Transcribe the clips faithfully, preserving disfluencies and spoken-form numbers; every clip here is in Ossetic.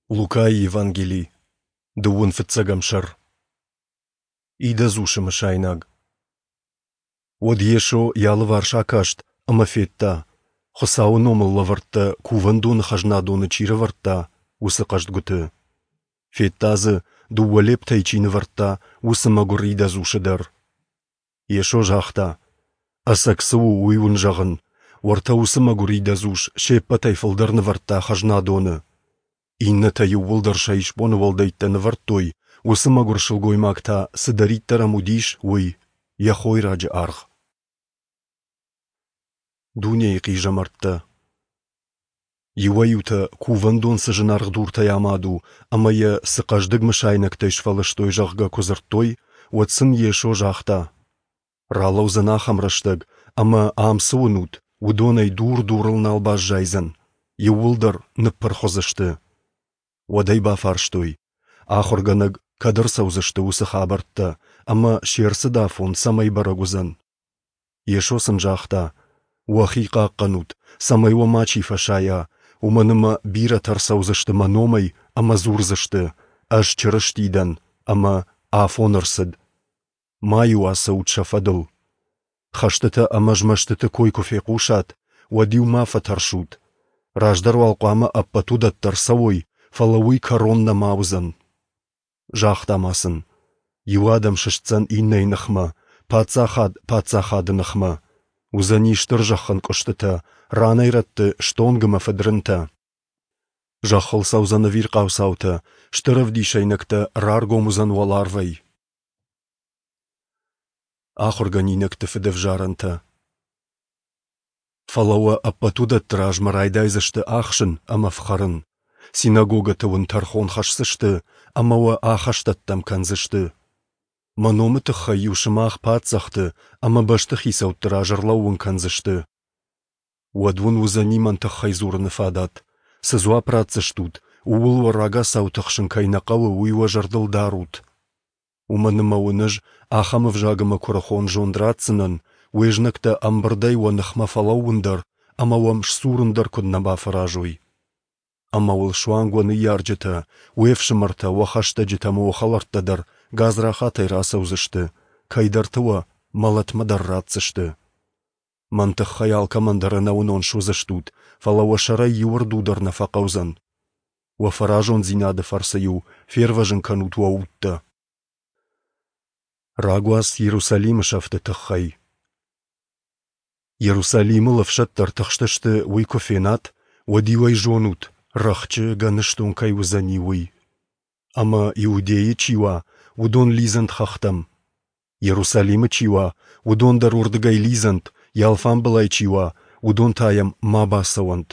Лукайы Евангели, дыууын фыццӕгӕм сӕр. Идӕдз усы мысайнаг. Уӕд Йесо йӕ алыварс акаст ӕмӕ федта, Хуыцауы номыл лӕвӕрттӕ кувӕндоны хӕзнадоны чи рӕвӕрдта, уыцы хъӕздгуыты. Федта дзы, дыууӕ лептӕй чи нывӕрдта, уыцы мӕгуыр идӕдз усы дӕр. Йесо загъта: Ӕцӕг цы у, уый уын зӕгъын, уӕртӕ уыцы мӕгуыр идӕдз ус се ппӕтӕй фылдӕр нывӕрдта хӕзнадоны. Иннӕтӕ иууылдӕр сӕ исбоны уӕлдӕйттӕ нывӕрдтой, уыцы мӕгуыр сылгоймаг та, цыдӕриддӕр ӕм уыдис, уый, йӕ хойраджы аргъ. Дунейы хъизӕмӕрттӕ. Иуӕй-иутӕ, кувӕндон цы зынаргъ дуртӕй амад у ӕмӕ йӕ цы хъӕздыг мысайнӕгтӕй сфӕлыстой, зӕгъгӕ, куы дзырдтой, уӕд сын Йесо загъта: Ралӕудзӕн ахӕм рӕстӕг, ӕмӕ ам цы уынут, уыдонӕй дур дурыл нал баззайдзӕн, иууылдӕр ныппырх уыдзысты. Уӕд ӕй бафарстой: Ахуыргӕнӕг, кӕд ӕрцӕудзысты уыцы хабӕрттӕ ӕмӕ се рцыд афон цӕмӕй бӕрӕг уыдзӕн? Йесо сын загъта: Уӕхи хъахъхъӕнут, цӕмӕй уӕ мачи фӕсайа, уымӕн ӕмӕ бирӕтӕ ӕрцӕудзысты мӕ номӕй ӕмӕ дзурдзысты: Ӕз Чырысти дӕн, ӕмӕ афон ӕрцыд. Ма-иу ацӕут сӕ фӕдыл. Хӕстытӕ ӕмӕ змӕстыты кой куы фехъусат, уӕд-иу ма фӕтӕрсут. Раздӕр уал хъуамӕ ӕппӕт уыдӕттӕ ӕрцӕуой, фӕлӕ уый кӕрон нӕма уыдзӕн. Загъта ма сын: Иу адӕм сыстдзӕн иннӕйы ныхмӕ, паддзахад паддзахады ныхмӕ. Уыдзӕни стыр зӕххӕнкъуыстытӕ, ранӕй-рӕтты стонг ӕмӕ фыдрынтӕ. Зӕххыл цӕудзӕн ӕвирхъау цаутӕ, стыр ӕвдисӕйнӕгтӕ раргом уыдзӕн уӕларвӕй. Ахуыргӕнинӕгты фыдӕвзарӕнтӕ. Фӕлӕ уӕ ӕппӕт уыдӕтты размӕ райдайдзысты ахсын ӕмӕ фхӕрын. Синагогӕты уын тӕрхон хӕсдзысты ӕмӕ уӕ ахӕстӕттӕм кӕндзысты. Мӕ номы тыххӕй-иу сымах паддзӕхты ӕмӕ бӕстыхицӕутты раз ӕрлӕууын кӕндзысты. Уӕд уын уыдзӕни мӕн тыххӕй дзурыны фадат. Цы дзуапп ратдзыстут, ууыл уӕ рагацау тыхсын кӕй нӕ хъӕуы, уый уӕ зӕрдыл дарут. Уымӕн ӕмӕ уын ӕз ахӕм ӕвзаг ӕмӕ куырыхон зонд ратдзынӕн, уе знӕгтӕ ӕмбырдӕй уӕ ныхмӕ фӕлӕууын дӕр ӕмӕ уӕм сдзурын дӕр куыд нӕ бафӕразой. Ӕмӕ уыл суанг уӕ ныййарджытӕ, уе фсымӕртӕ, уӕ хӕстӕджытӕ ӕмӕ уӕ хӕлӕрттӕ дӕр гадзрахатӕй рацӕудзысты, кӕйдӕрты уӕ мӕлӕтмӕ дӕр ратдзысты. Мӕн тыххӕй алкӕмӕн дӕр ӕнӕуынон суыдзыстут, фӕлӕ уӕ сӕрӕй иу ӕрду дӕр нӕ фӕхъӕудзӕн. Уӕ фӕразондзинады фӕрцы-иу фервӕзын кӕнут уӕ удтӕ. Рагуац Иерусалимы сӕфты тыххӕй. Иерусалимыл ӕфсӕдтӕ ӕртыхстысты, уый куы фенат, уӕд-иу ӕй зонут, рӕхджы гӕныстон кӕй уыдзӕни, уый. Ӕмӕ Иудейы чи уа, уыдон лидзӕнт хӕхтӕм. Иерусалимы чи уа, уыдон дӕр уырдыгӕй лидзӕнт, йӕ алфамбылай чи уа, уыдон та йӕм ма бацӕуӕнт.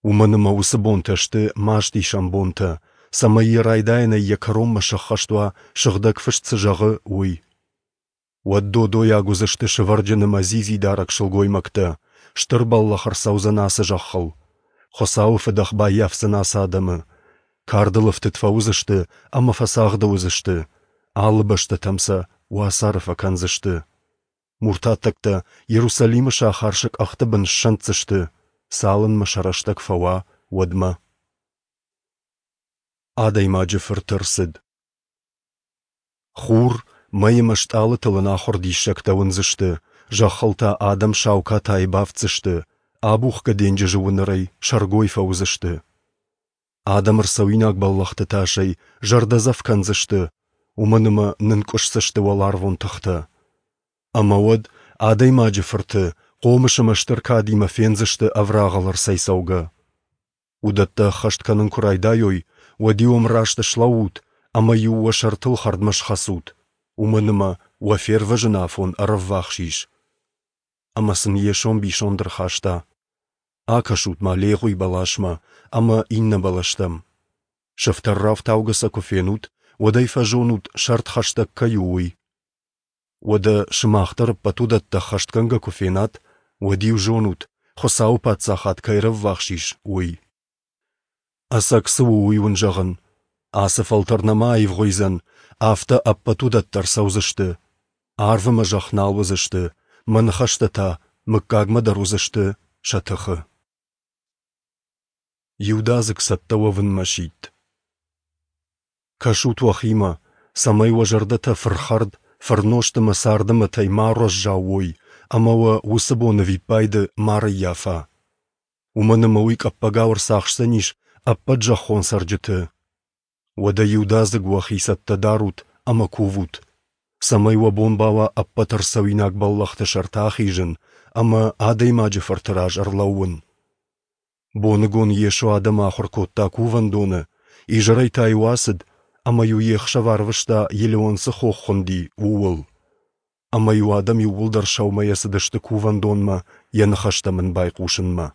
Уымӕн ӕмӕ уыцы бонтӕ сты мастисӕн бонтӕ, цӕмӕй йӕ райдайӕнӕй йӕ кӕронмӕ сӕххӕст уа, Сыгъдӕг Фыст цы зӕгъы, уый. Уӕд додойаг уыдзысты сывӕрджын ӕмӕ дзидзидарӕг сылгоймӕгтӕ, стыр бӕллӕх ӕрцӕудзӕн ацы зӕххыл. Хуыцауы фыдӕх баййафдзӕн ацы адӕмы. Кардыл ӕфтыд фӕуыдзысты ӕмӕ фӕцагъды уыдзысты, алы бӕстӕтӕм сӕ уацары фӕкӕндзысты. Муртаттӕгтӕ Иерусалимы сахар сӕ къӕхты бын ссӕнддзысты, цалынмӕ сӕ рӕстӕг фӕуа, уӕдмӕ. Адӕймаджы фырт ӕрцыд. Хур, мӕй ӕмӕ стъалытыл ӕнахуыр диссӕгтӕ уындзысты, зӕххыл та адӕм сау катайы бафтдзысты, абухгӕ денджызы уынӕрӕй сӕргой фӕуыдзысты. Адӕм ӕрцӕуинаг бӕллӕхты тасӕй зӕрдӕдзӕф кӕндзысты, уымӕн ӕмӕ нынкъуысдзысты уӕларвон тыхтӕ. Ӕмӕ уӕд Адӕймаджы Фырты хъомыс ӕмӕ стыр кадимӕ фендзысты ӕврагъыл ӕрцӕйцӕугӕ. Уыдӕттӕ ӕххӕст кӕнын куы райдайой, уӕд-иу ӕмраст слӕуут ӕмӕ-иу уӕ сӕртыл хӕрдмӕ схӕцут, уымӕн ӕмӕ уӕ фервӕзыны афон ӕрӕввахс ис. Ӕмӕ сын Йесо ӕмбисонд ӕрхаста: Акӕсут-ма легъуи бӕласмӕ ӕмӕ иннӕ бӕлӕстӕм. Сыфтӕр рафтаугӕ сӕ куы фенут, уӕд ӕй фӕзонут, сӕрд хӕстӕг кӕй у, уый. Уӕдӕ сымах дӕр ӕппӕт уыдӕттӕ ӕххӕстгӕнгӕ куы фенат, уӕд-иу зонут, Хуыцауы паддзахад кӕй ӕрӕввахс ис, уый. Ӕцӕг цы у, уый уын зӕгъын: ацы фӕлтӕр нӕма аивгъуыйдзӕн, афтӕ ӕппӕт уыдӕттӕ ӕрцӕудзысты. Арв ӕмӕ зӕхх нал уыдзысты, мӕ ныхӕстӕ та мыггагмӕ дӕр уыдзысты сӕ тыхы. Иудадзыг цӕттӕ уӕвынмӕ сидт. Кӕсут уӕхимӕ, цӕмӕй уӕ зӕрдӕтӕ фырхӕрд, фырнозт ӕмӕ царды мӕтӕй ма ӕруӕззау уой ӕмӕ уӕ уыцы бон ӕвиппайды ма рыййафа. Уымӕн ӕмӕ уый къӕппӕгау ӕрцахсдзӕнис ӕппӕт зӕххон цӕрджыты. Уӕдӕ иудадзыг уӕхи цӕттӕ дарут ӕмӕ кувут, цӕмӕй уӕ бон бауа ӕппӕт ӕрцӕуинаг бӕллӕхты сӕрты ахизын ӕмӕ Адӕймаджы Фырты раз ӕрлӕууын. Боныгон Йесо адӕмы ахуыр кодта кувӕндоны, изӕрӕй та-иу ацыд ӕмӕ-иу йе хсӕв арвыста, Елеон цы хох хуынди, ууыл. Ӕмӕ-иу адӕм иууылдӕр сӕумӕйӕ цыдысты кувӕндонмӕ йӕ ныхӕстӕм ын байхъусынмӕ.